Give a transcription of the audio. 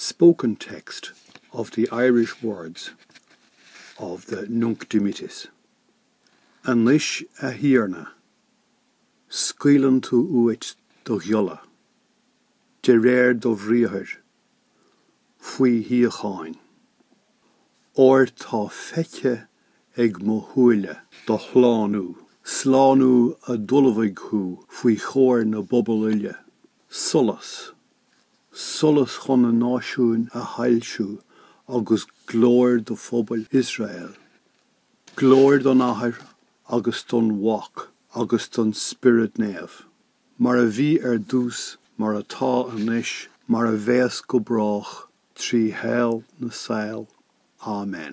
spoken text of the Irish words of the Nunc Dimittis. Anois, a Thiarna, scaoileann tú uait do ghiolla, de réir do bhriathair, faoi shíocháin. Óir tá feicthe ag mo shúile do shlánú, slánú a d'ullmhaigh thú faoi chomhair na bpobal uile, solas, solas chun na náisiúin a shoilsiú agus glóir do phobal Iosrael. Glóir don Athair agus don Mhac agus don Spiorad Naomh, mar a bhí ar dtús, mar atá anois, mar a bheas go brách, trí shaol na saol. Amen.